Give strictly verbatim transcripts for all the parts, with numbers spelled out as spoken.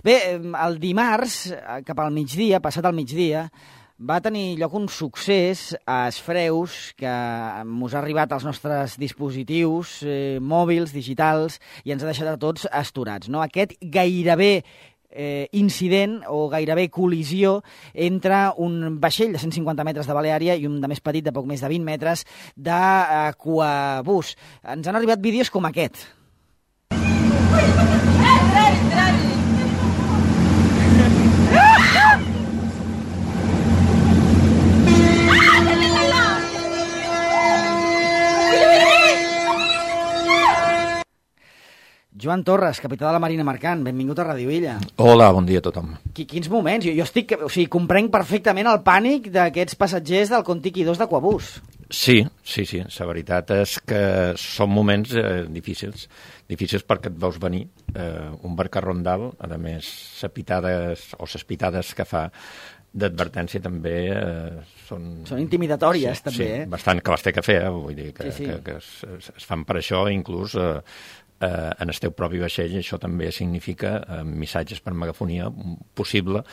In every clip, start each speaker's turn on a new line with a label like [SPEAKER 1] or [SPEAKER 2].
[SPEAKER 1] Bé, el dimarts, cap al migdia, passat al migdia, va tenir lloc un succés a Esfreus que mos ha arribat als nostres dispositius eh, mòbils, digitals, i ens ha deixat a tots astorats, no? Aquest gairebé eh, incident o gairebé col·lisió entre un vaixell de cent cinquanta metres de Baleària i un de més petit, de poc més de vint metres, d'Aquabús. Ens han arribat vídeos com aquest. Joan Torres, capità de la Marina Mercant, benvingut a Ràdio Illa.
[SPEAKER 2] Hola, bon dia a tothom.
[SPEAKER 1] Quins moments? Jo, jo estic, o sigui, comprenc perfectament el pànic d'aquests passatgers del Contiki dos d'Aquabús.
[SPEAKER 2] Sí, sí, sí. La veritat és que són moments eh, difícils. Difícils perquè et veus venir eh, un barcarrón dalt, a més, les pitades o les pitades que fa d'advertència també eh, són...
[SPEAKER 1] Són intimidatòries,
[SPEAKER 2] sí,
[SPEAKER 1] també,
[SPEAKER 2] sí,
[SPEAKER 1] eh?
[SPEAKER 2] bastant que les té que fer, eh? Vull dir que,
[SPEAKER 1] sí, sí.
[SPEAKER 2] que, que es, es fan per això, inclús eh, eh, en el teu propi vaixell. Això també significa eh, missatges per megafonia possible,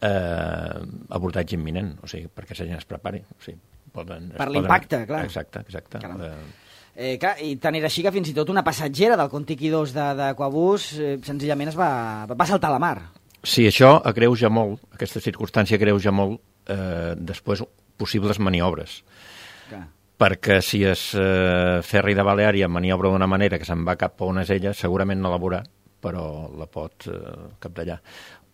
[SPEAKER 2] eh, abordatge imminent, o sigui, perquè la gent es prepari. O sigui, poden,
[SPEAKER 1] per l'impacte,
[SPEAKER 2] poden...
[SPEAKER 1] clar.
[SPEAKER 2] Exacte, exacte. Eh,
[SPEAKER 1] Eh, clar, i tant era així que fins i tot una passatgera del Contiki dos d'Aquabús eh, senzillament es va, va saltar a la mar.
[SPEAKER 2] Sí, això agreuja molt, aquesta circumstància agreuja molt eh, després possibles maniobres.
[SPEAKER 1] Clar.
[SPEAKER 2] Perquè si el eh, ferri de Baleària maniobra d'una manera que se'n va cap a on és ella, segurament no la veurà, però la pot eh, capdallar.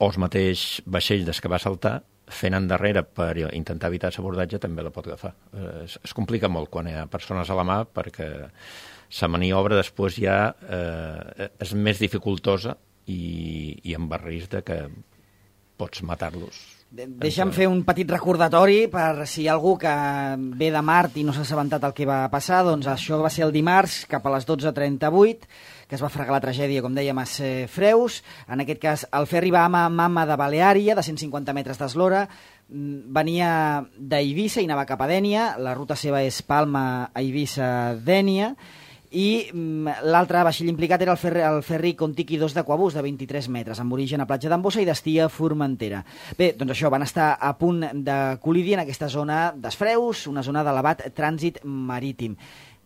[SPEAKER 2] O el mateix vaixell des que va saltar, fent endarrere per intentar evitar l'abordatge, també la pot agafar. Eh, es, es complica molt quan hi ha persones a la mà, perquè la maniobra després ja eh, és més dificultosa i, i amb el risc de que pots matar-los.
[SPEAKER 1] De Deixa'm fer un petit recordatori per si hi ha algú que ve de Mart i no s'ha assabentat el que va passar. Doncs això va ser el dimarts, cap a les dotze trenta-vuit, que es va fregar la tragèdia, com dèiem, a Freus. En aquest cas, el ferri va a Mama de Baleària, de cent cinquanta metres d'eslora, venia d'Eivissa i anava cap a Dénia. La ruta seva és Palma, Eivissa, Dénia. I l'altre vaixell implicat era el ferri, el ferri Contiki dos d'Aquabús, de vint-i-tres metres, amb origen a Platja d'Ambossa i destí a Formentera. Bé, doncs això, van estar a punt de col·lidir en aquesta zona d'Esfreus, una zona d'elevat trànsit marítim.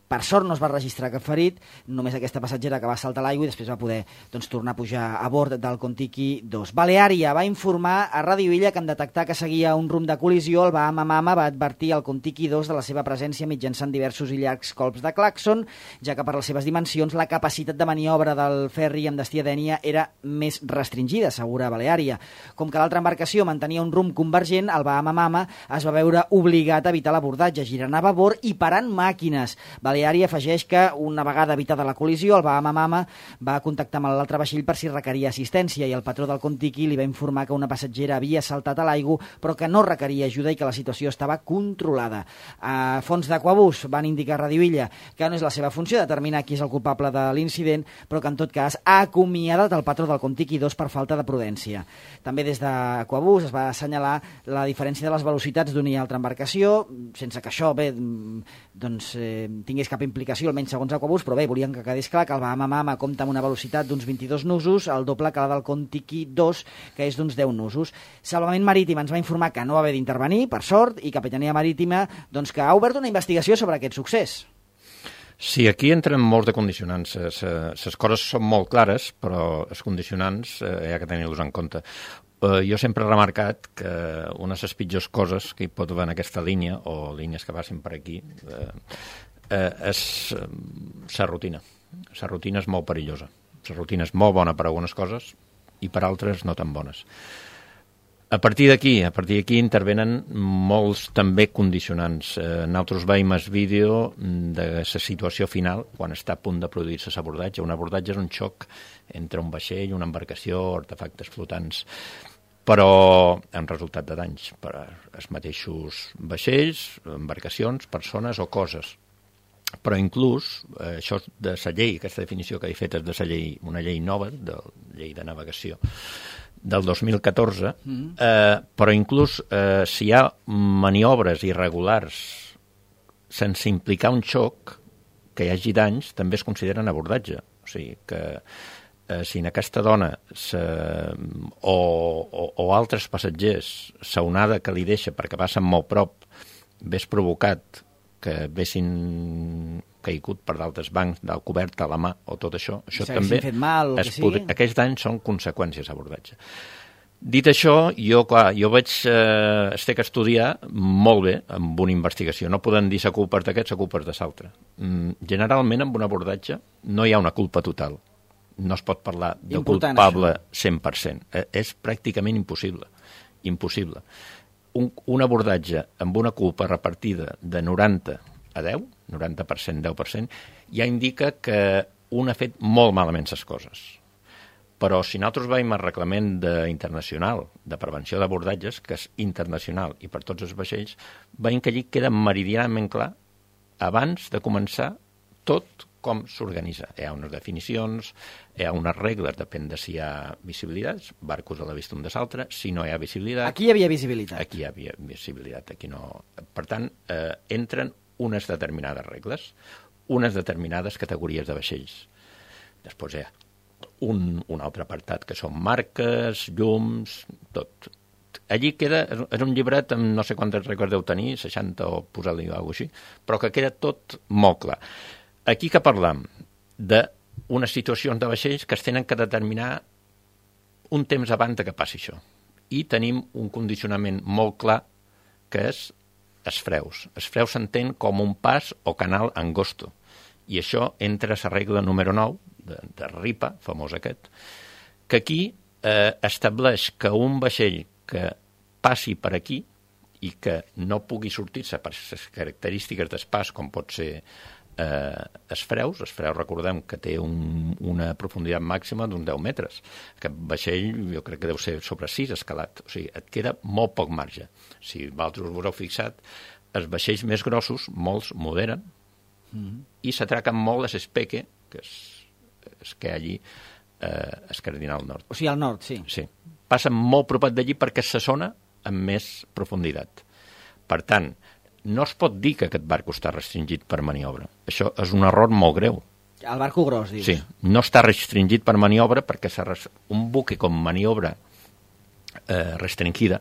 [SPEAKER 1] Per sort no es va registrar cap ferit, només aquesta passatgera que va saltar a l'aigua i després va poder doncs, tornar a pujar a bord del Contiki dos. Baleària va informar a Ràdio Illa que en detectar que seguia un rumb de col·lisió, el Bahama Mama va advertir al Contiki dos de la seva presència mitjançant diversos i llargs colps de clàxon, ja que per les seves dimensions la capacitat de maniobra del ferri amb destí a Dénia era més restringida, assegura Baleària. Com que l'altra embarcació mantenia un rumb convergent, el Bahama Mama es va veure obligat a evitar l'abordatge, girant a babord i parant màquines. Baleària afegeix que, una vegada evitada la col·lisió, el Bahama Mama va contactar amb l'altre vaixell per si requeria assistència i el patró del Contiki li va informar que una passatgera havia saltat a l'aigua però que no requeria ajuda i que la situació estava controlada. A fons d'Aquabús van indicar a Ràdio Illa que no és la seva funció determinar qui és el culpable de l'incident, però que en tot cas ha acomiadat el patró del Contiki dos per falta de prudència. També des d'Aquabús es va assenyalar la diferència de les velocitats d'una i altra embarcació, sense que això bé, doncs, eh, tingués cap implicació, almenys segons Aquabús, però bé, volien que quedés clar que el Bahama Mama compta amb una velocitat d'uns vint-i-dos nusos, el doble que la del Contiki dos, que és d'uns deu nusos. Salvament Marítim ens va informar que no va haver d'intervenir, per sort, i Capitania Marítima doncs, que ha obert una investigació sobre aquest succés.
[SPEAKER 2] Sí, aquí entren molts de condicionants. Les coses són molt clares, però els condicionants eh, hi ha que tenir-los en compte. Uh, jo sempre he remarcat que una de les pitjors coses que hi pot haver en aquesta línia, o línies que passin per aquí, eh, eh, és eh, la rutina. La rutina és molt perillosa. La rutina és molt bona per algunes coses i per altres no tan bones. A partir d'aquí, a partir d'aquí intervenen molts també condicionants. Eh, nosaltres veiem el vídeo de la situació final quan està a punt de produir-se l'abordatge. Un abordatge és un xoc entre un vaixell, una embarcació, artefactes flotants, però en resultat de danys per als mateixos vaixells, embarcacions, persones o coses. Però inclús, eh, això de la llei, aquesta definició que he fet és de la llei, una llei nova, de la llei de navegació, del dos mil catorze, eh, però inclús eh, si hi ha maniobres irregulars sense implicar un xoc, que hi hagi danys, també es consideren abordatge. O sigui que eh, si en aquesta dona se, o, o, o altres passatgers s'onada que li deixa perquè passen molt prop hagués provocat que haguessin caigut per d'altres bancs, del cobert a la mà o tot això, això també
[SPEAKER 1] fet mal, o
[SPEAKER 2] es
[SPEAKER 1] que
[SPEAKER 2] podri... aquells danys són conseqüències d'abordatge. Dit això, jo, clar, jo vaig eh, es té que estudiar molt bé amb una investigació. No podem dir la culpa és d'aquest, la culpa és de l'altre. Mm, generalment, amb un abordatge no hi ha una culpa total. No es pot parlar de
[SPEAKER 1] Important,
[SPEAKER 2] culpable
[SPEAKER 1] això.
[SPEAKER 2] cent per cent. Eh, és pràcticament impossible. Impossible. Un, un abordatge amb una culpa repartida de noranta a deu, noranta per cent, deu per cent, ja indica que un ha fet molt malament les coses. Però si nosaltres veiem el reglament de, internacional de prevenció d'abordatges, que és internacional i per tots els vaixells, veiem que allí queda meridianament clar, abans de començar, tot com s'organitza. Hi ha unes definicions, hi ha unes regles, depèn de si hi ha visibilitats, barcos a la vista un de l'altre, si no hi ha visibilitat...
[SPEAKER 1] Aquí hi havia visibilitat.
[SPEAKER 2] Aquí hi havia visibilitat, aquí no... Per tant, eh, entren unes determinades regles, unes determinades categories de vaixells. Després hi ha Un, un altre apartat, que són marques, llums, tot. Allí queda, és un llibret amb no sé quantes regles deu tenir, seixanta o posar-li alguna cosa així, però que queda tot molt clar. Aquí que parlam d'unes situacions de vaixells que es tenen que determinar un temps abans que passi això. I tenim un condicionament molt clar, que és els freus. Els freus s'entén com un pas o canal angosto. I això entra a la regla número nou, de, de RIPA, famós aquest, que aquí eh, estableix que un vaixell que passi per aquí i que no pugui sortir-se per les característiques d'espàs, com pot ser eh, els freus, els freus recordem que té un, una profunditat màxima d'uns deu metres. Aquest vaixell jo crec que deu ser sobre sis escalat, o sigui, et queda molt poc marge. Si vosaltres us heu fixat, els vaixells més grossos, molts moderen, mm-hmm. i s'atraquen molt a l'espeque, que és és que allí eh, es cardinal nord.
[SPEAKER 1] O sigui, al nord, sí.
[SPEAKER 2] Sí. Passen molt propat d'allí perquè és la zona amb més profunditat. Per tant, no es pot dir que aquest barco està restringit per maniobra. Això és un error molt greu.
[SPEAKER 1] El barco gros, dius.
[SPEAKER 2] Sí, no està restringit per maniobra perquè un buque com maniobra eh, restringida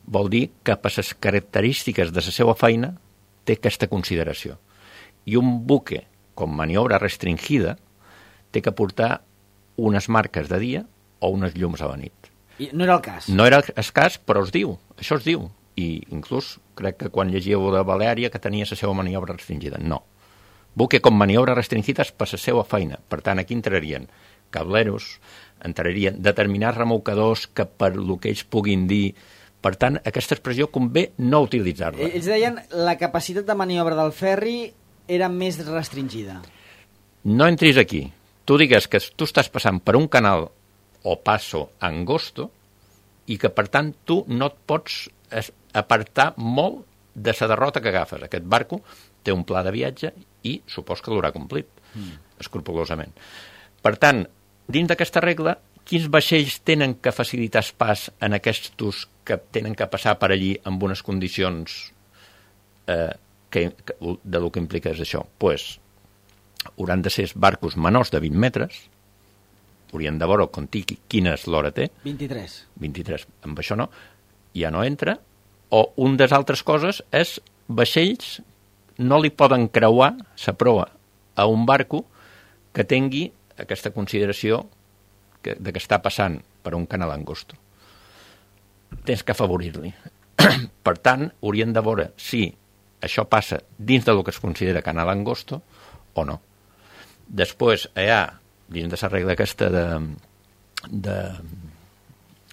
[SPEAKER 2] vol dir que per les característiques de la seva feina té aquesta consideració. I un buque com maniobra restringida té que portar unes marques de dia o unes llums a la nit.
[SPEAKER 1] I no era el cas.
[SPEAKER 2] No era el cas, però es diu, això es diu. I inclús crec que quan llegíeu de Valèria que tenia la seva maniobra restringida. No. Buque com maniobra restringida és per la seva feina. Per tant, aquí entrarien cableros, entrarien determinats remolcadors que per el que ells puguin dir... Per tant, aquesta expressió convé no utilitzar-la.
[SPEAKER 1] Ells deien la capacitat de maniobra del ferri era més restringida.
[SPEAKER 2] No entris aquí. Tu digues que tu estàs passant per un canal o passo angosto i que, per tant, tu no et pots apartar molt de la derrota que agafes. Aquest barco té un pla de viatge i supos que l'haurà complit, mm. escrupolosament. Per tant, dins d'aquesta regla, quins vaixells tenen que facilitar el pas en aquests que tenen que passar per allí amb unes condicions eh, que, que, de lo que implica és això? Doncs pues, hauran de ser barcos menors de vint metres, haurien de veure quina és l'hora té.
[SPEAKER 1] vint-i-tres.
[SPEAKER 2] vint-i-tres, amb això no, ja no entra. O un de les altres coses és vaixells no li poden creuar la proa a un barco que tingui aquesta consideració que, de que està passant per un canal angosto. Tens que afavorir-li. Per tant, haurien de veure si això passa dins del que es considera canal angosto o no. Després hi ha, dins de la regla aquesta de, de,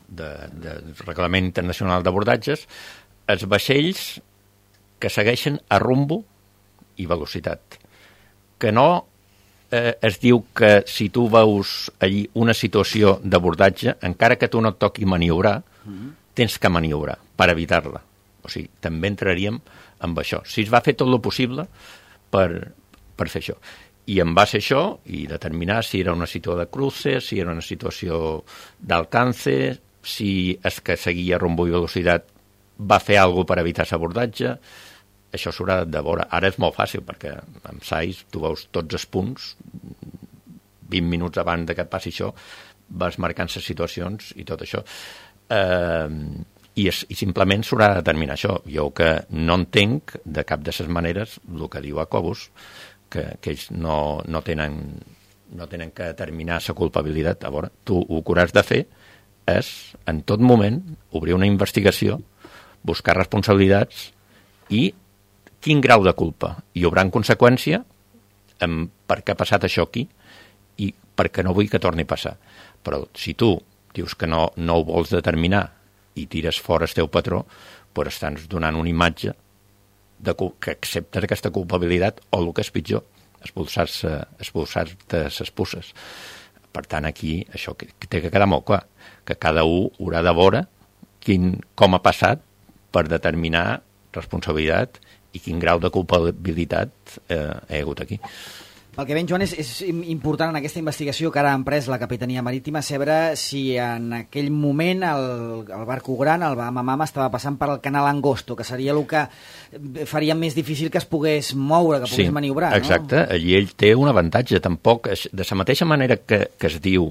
[SPEAKER 2] de, de Reglament Internacional d'Abordatges, els vaixells que segueixen a rumbo i velocitat. Que no eh, es diu que si tu veus allí una situació d'abordatge, encara que tu no et toqui maniobrar, mm-hmm. tens que maniobrar per evitar-la. O sigui, també entraríem amb això. Si es va fer tot el possible per, per fer això. I en base a això, i determinar si era una situació de cruce, si era una situació d'alcance, si és que seguia rumbo i velocitat va fer alguna cosa per evitar l'abordatge, això s'haurà de veure. Ara és molt fàcil, perquè amb S A I S tu veus tots els punts vint minuts abans de que passi això, vas marcant les situacions i tot això. Eh, i, es, I simplement s'haurà de determinar això. Jo que no entenc de cap de les maneres el que diu Acobus, que, que ells no, no, tenen, no tenen que determinar la culpabilitat. A veure, tu el que hauràs de fer és, en tot moment, obrir una investigació, buscar responsabilitats i quin grau de culpa hi haurà en conseqüència amb per què ha passat això aquí i perquè no vull que torni a passar. Però si tu dius que no, no ho vols determinar i tires fora el teu patró, doncs estàs donant una imatge de que acceptes aquesta culpabilitat o el que és pitjor, expulsar-se expulsar-te les puces. Per tant, aquí això que, que té que quedar molt clar, que cada un haurà de veure quin, com ha passat per determinar responsabilitat i quin grau de culpabilitat eh, hi ha hagut aquí.
[SPEAKER 1] El que ven, Joan, és, és important en aquesta investigació que ara ha emprès la Capitania Marítima saber si en aquell moment el, el barco gran, el Bahama Mama, estava passant per el canal Angosto, que seria el que faria més difícil que es pogués moure, que pogués
[SPEAKER 2] sí,
[SPEAKER 1] maniobrar.
[SPEAKER 2] Exacte, no? Allí ell té un avantatge. Tampoc, de la mateixa manera que, que es diu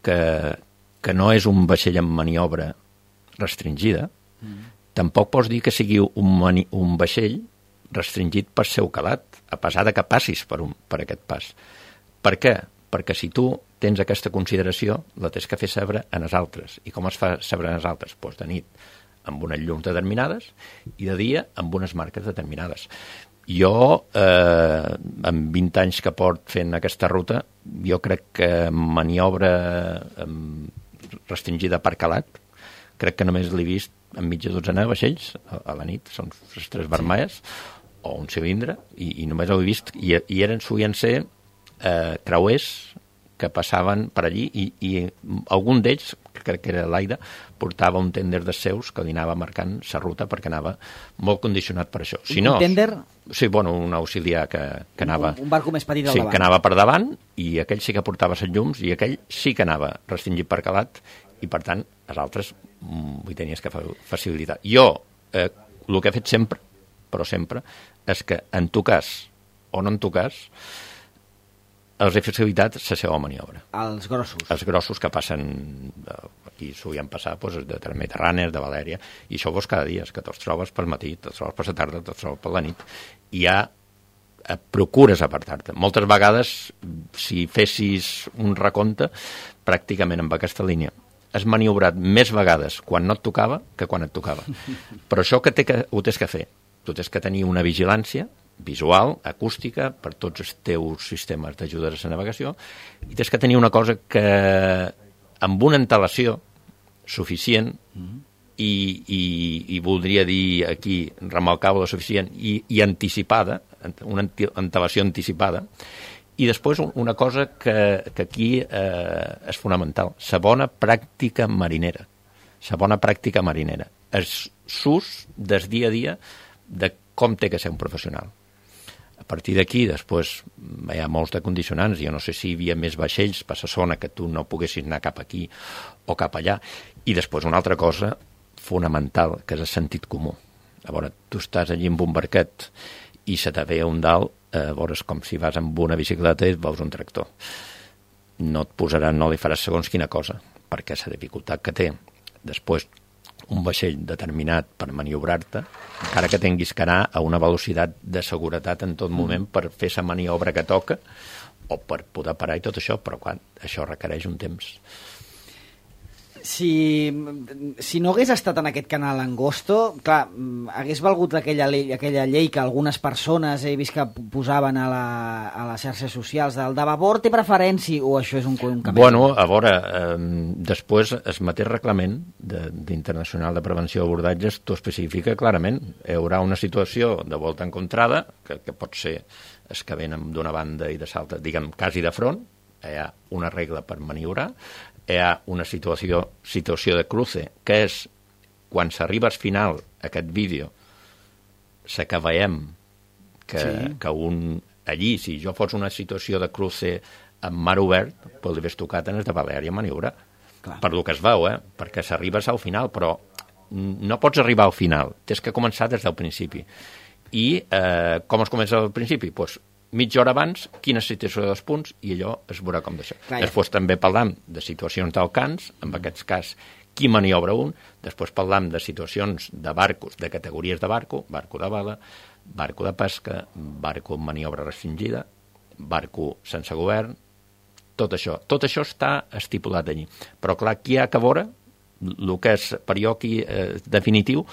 [SPEAKER 2] que, que no és un vaixell en maniobra restringida, mm. tampoc pots dir que sigui un, mani, un vaixell restringit per seu calat, a pesar de que passis per, un, per aquest pas. Per què? Perquè si tu tens aquesta consideració, la tens que fer saber en els altres. I com es fa saber en els altres? Doncs de nit, amb unes llums determinades, i de dia, amb unes marques determinades. Jo, eh, amb vint anys que port fent aquesta ruta, jo crec que maniobra eh, restringida per calat, crec que només l'he vist en mitja dotzena de vaixells a, a la nit, són les tres vermelles, o un cilindre, i, i només ho he vist, i, i eren, solien ser eh, creuers que passaven per allí, i, i algun d'ells, crec que era l'Aida, portava un tender de seus que li anava marcant la ruta perquè anava molt condicionat per això. Si no,
[SPEAKER 1] un tender?
[SPEAKER 2] Sí, bueno, un auxiliar que, que anava...
[SPEAKER 1] Un, un barco més petit al
[SPEAKER 2] sí,
[SPEAKER 1] davant.
[SPEAKER 2] Que anava per davant, i aquell sí que portava les llums, i aquell sí que anava restringit per calat, i per tant, els altres vull tenies que facilitar. Jo, eh, el que he fet sempre, però sempre, és que en tu cas o no en tu cas, els he facilitat la seva maniobra.
[SPEAKER 1] Els grossos.
[SPEAKER 2] Els grossos que passen, aquí solien passar doncs, de Mediterrània, de Valèria, i això vos cada dia, és que te'ls trobes pel matí, te'ls trobes per la tarda, te'ls trobes per la nit, i ja procures apartar-te. Moltes vegades, si fessis un recompte, pràcticament amb aquesta línia, has maniobrat més vegades quan no et tocava que quan et tocava. Però això que, té que ho tens que fer. Tu tens que tenir una vigilància visual, acústica, per tots els teus sistemes d'ajuda a la navegació, i tens que tenir una cosa que, amb una antelació suficient, mm-hmm. i, i, i voldria dir aquí, remarcable suficient, i, i anticipada, una antelació anticipada, i després una cosa que, que aquí eh, és fonamental, la bona pràctica marinera. La bona pràctica marinera. El sus del dia a dia de com té que ser un professional. A partir d'aquí, després, hi ha molts de condicionants. Jo no sé si hi havia més vaixells per la zona que tu no poguessis anar cap aquí o cap allà. I després una altra cosa fonamental, que és el sentit comú. A veure, tu estàs allí amb un barquet i se te ve un dalt, a veure, és com si vas amb una bicicleta i et veus un tractor. No et posaran, no li faràs segons quina cosa, perquè la dificultat que té després un vaixell determinat per maniobrar-te, encara que tinguis que anar a una velocitat de seguretat en tot moment per fer la maniobra que toca o per poder parar i tot això, però clar, això requereix un temps.
[SPEAKER 1] Si, si no hagués estat en aquest canal Angosto, clar, hagués valgut aquella llei, aquella llei que algunes persones he vist que posaven a, la, a les xarxes socials del de babord té preferència, o això és un, un camí?
[SPEAKER 2] Bueno, a veure, eh, després el mateix reglament d'Internacional de, de Prevenció d'Abordatges t'ho especifica clarament. Hi haurà una situació de volta encontrada, que, que pot ser els que venen d'una banda i de l'altra, diguem, quasi de front, hi ha una regla per maniobrar, hi ha una situació, situació de cruce, que és quan s'arriba al final aquest vídeo, se que veiem que, sí. que un allí, si jo fos una situació de cruce amb mar obert, doncs li hagués tocat en el de Valèria maniobrar. Clar. Per lo que es veu, eh? Perquè s'arribes al final, però no pots arribar al final, tens que començar des del principi. I eh, com es comença al principi? Doncs mitja hora abans, quina situació dels punts, i allò es veurà com d'això. Després també parlam de situacions d'alcans, en aquest cas, qui maniobra un, després parlam de situacions de barcos, de categories de barco, barco de vela, barco de pesca, barco amb maniobra restringida, barco sense govern, tot això. Tot això està estipulat allí. Però clar, aquí hi ha que veure, el que és per jo aquí eh, definitiu,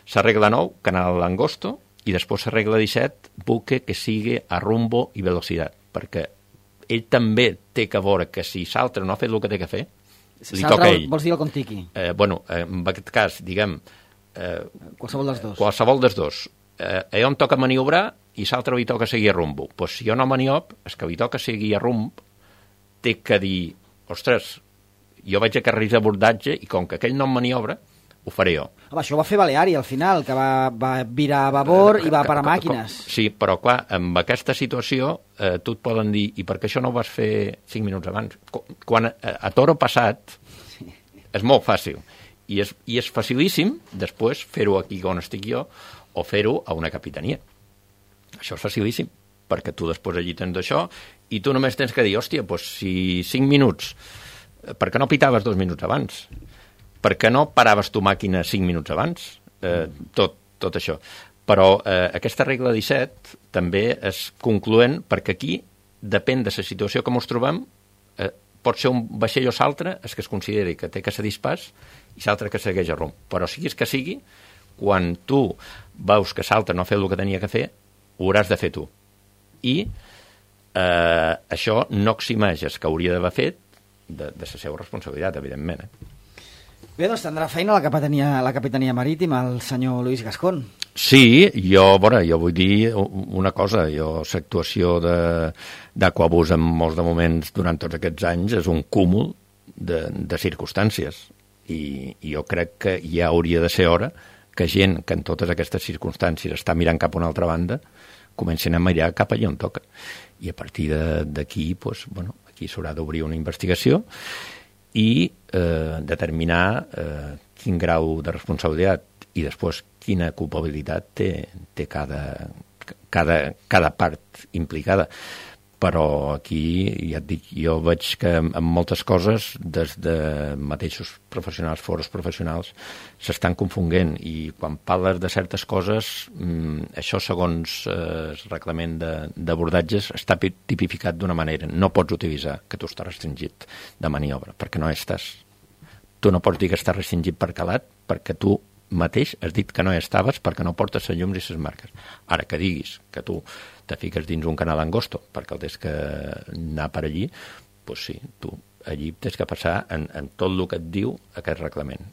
[SPEAKER 2] s'arregla nou, canal Angosto, i després s'arregla disset, buque que sigui a rumbo i velocitat, perquè ell també té que veure que si l'altre no ha fet el que té que fer, li toca a ell.
[SPEAKER 1] Vols dir el Contiki?
[SPEAKER 2] Eh, bueno, eh, en aquest cas, diguem... Eh,
[SPEAKER 1] qualsevol dels dos.
[SPEAKER 2] Qualsevol dels dos. Eh, a ell em toca maniobrar i l'altre li toca seguir a rumbo. Pues si jo no maniob, és que li toca seguir a rumb, té que dir, ostres, jo vaig a carrils d'abordatge i com que aquell no em maniobra, ho faré jo.
[SPEAKER 1] Home, això ho va fer Baleari al final, que va, va virar a babor eh, i va parar màquines.
[SPEAKER 2] Sí, però clar, amb aquesta situació eh, tu et poden dir, i per què això no ho vas fer cinc minuts abans? Quan a, a toro passat sí. És molt fàcil. I és, i és facilíssim després fer-ho aquí on estic jo o fer-ho a una capitania. Això és facilíssim, perquè tu després allí tens això i tu només tens que dir, hòstia, doncs si cinc minuts, per què no pitaves dos minuts abans? Per què no paraves tu màquina cinc minuts abans? Eh, tot, tot això. Però eh, aquesta regla disset també és concloent perquè aquí depèn de la situació que ens trobem. Eh, pot ser un vaixell o l'altre, és que es consideri que té que ser dispàs i l'altre que segueix a rumb. Però siguis que sigui, quan tu veus que l'altre no ha fet el que tenia que fer, ho hauràs de fer tu. I eh, això no eximeix el que hauria d'haver fet de, de la seva responsabilitat, evidentment. Eh?
[SPEAKER 1] Bé, doncs tindrà feina la capitania, la capitania marítima, el senyor Luis Gascón.
[SPEAKER 2] Sí, jo, bueno, jo vull dir una cosa, jo l'actuació d'Aquabus en molts de moments durant tots aquests anys és un cúmul de, de circumstàncies i, i jo crec que ja hauria de ser hora que gent que en totes aquestes circumstàncies està mirant cap a una altra banda comencin a mirar cap allà on toca. I a partir d'aquí, doncs, bueno, aquí s'haurà d'obrir una investigació i eh, determinar eh, quin grau de responsabilitat i després quina culpabilitat té, té cada, cada, cada part implicada. Però aquí, ja et dic, jo veig que en moltes coses, des de mateixos professionals, foros professionals, s'estan confonent i quan parles de certes coses, mmm, això segons eh, el reglament d'abordatges està tipificat d'una manera. No pots utilitzar que tu estàs restringit de maniobra, perquè no estàs. Tu no pots dir que estàs restringit per calat, perquè tu mateix has dit que no hi estaves perquè no portes les llums i les marques. Ara que diguis que tu te fiques dins un canal Angosto perquè el tens que anar per allí, doncs sí, tu allí tens que passar en, en tot el que et diu aquest reglament.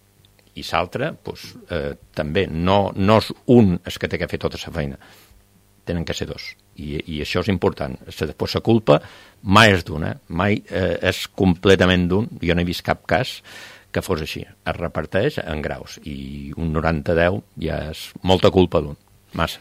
[SPEAKER 2] I l'altre, doncs, eh, també, no, no és un el que té que fer tota la feina, tenen que ser dos. I, i això és important. Després la culpa mai és d'un, eh? mai eh, és completament d'un. Jo no he vist cap cas que fos així. Es reparteix en graus i un noranta deu ja és molta culpa d'un. Massa.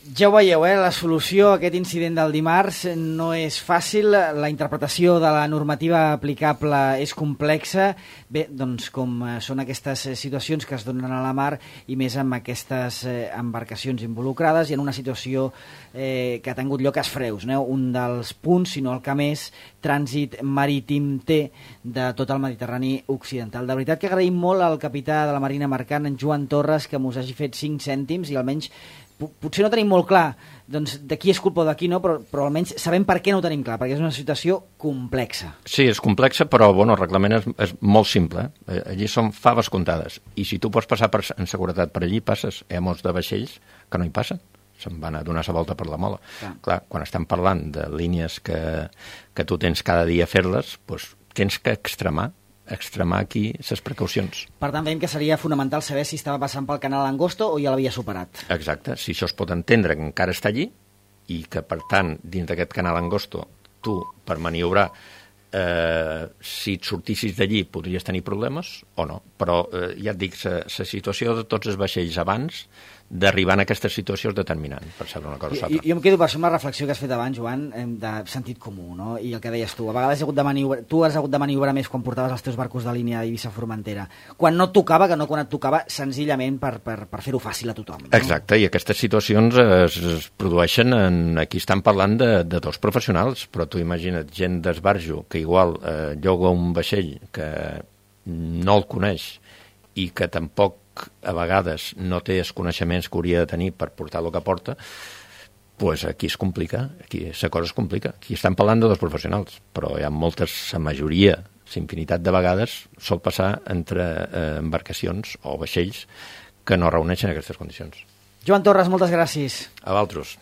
[SPEAKER 1] Ja ho veieu, eh? La solució a aquest incident del dimarts no és fàcil, la interpretació de la normativa aplicable és complexa. Bé, doncs com són aquestes situacions que es donen a la mar i més amb aquestes embarcacions involucrades i en una situació eh, que ha tingut lloc a Freus, no? Un dels punts, si no el que més, trànsit marítim té de tot el Mediterrani occidental. De veritat que agraïm molt al capità de la Marina Mercant, en Joan Torres, que mos hagi fet cinc cèntims i almenys potser no tenim molt clar doncs, de qui és culpa o de qui no, però, però almenys sabem per què no ho tenim clar, perquè és una situació complexa.
[SPEAKER 2] Sí, és complexa, però bueno, el reglament és, és molt simple. Eh? Allí són faves comptades. I si tu pots passar per, en seguretat per allí, passes. Hi ha molts de vaixells que no hi passen. Se'n van a donar la volta per la mola. Clar, clar quan estem parlant de línies que, que tu tens cada dia a fer-les, doncs tens que extremar extremar aquí les precaucions.
[SPEAKER 1] Per tant, veiem que seria fonamental saber si estava passant pel canal Angosto o ja l'havia superat.
[SPEAKER 2] Exacte, si això es pot entendre que encara està allí i que, per tant, dins d'aquest canal Angosto, tu, per maniobrar, eh, si et sortissis d'allí podries tenir problemes o no. Però, eh, ja et dic, la situació de tots els vaixells abans d'arribar en aquestes situacions determinant per saber una cosa o
[SPEAKER 1] Jo,
[SPEAKER 2] l'altra.
[SPEAKER 1] jo em quedo per això amb la reflexió que has fet abans, Joan, de sentit comú, no? I el que deies tu, a vegades has hagut de maniobrar, tu has hagut de maniobrar més quan portaves els teus barcos de línia a Eivissa-Formentera, quan no et tocava, que no quan et tocava, senzillament per, per, per fer-ho fàcil a tothom. No?
[SPEAKER 2] Exacte, i aquestes situacions es, es produeixen en... Aquí estan parlant de, de dos professionals, però tu imagina't gent d'esbarjo que igual eh, lloga un vaixell que no el coneix i que tampoc a vegades no té els coneixements que hauria de tenir per portar el que porta, pues aquí es complica, aquí la cosa es complica. Aquí estan parlant de dos professionals, però hi ha moltes, la majoria, la infinitat de vegades, sol passar entre eh, embarcacions o vaixells que no reuneixen aquestes condicions.
[SPEAKER 1] Joan Torres, moltes gràcies.
[SPEAKER 2] A vosaltres.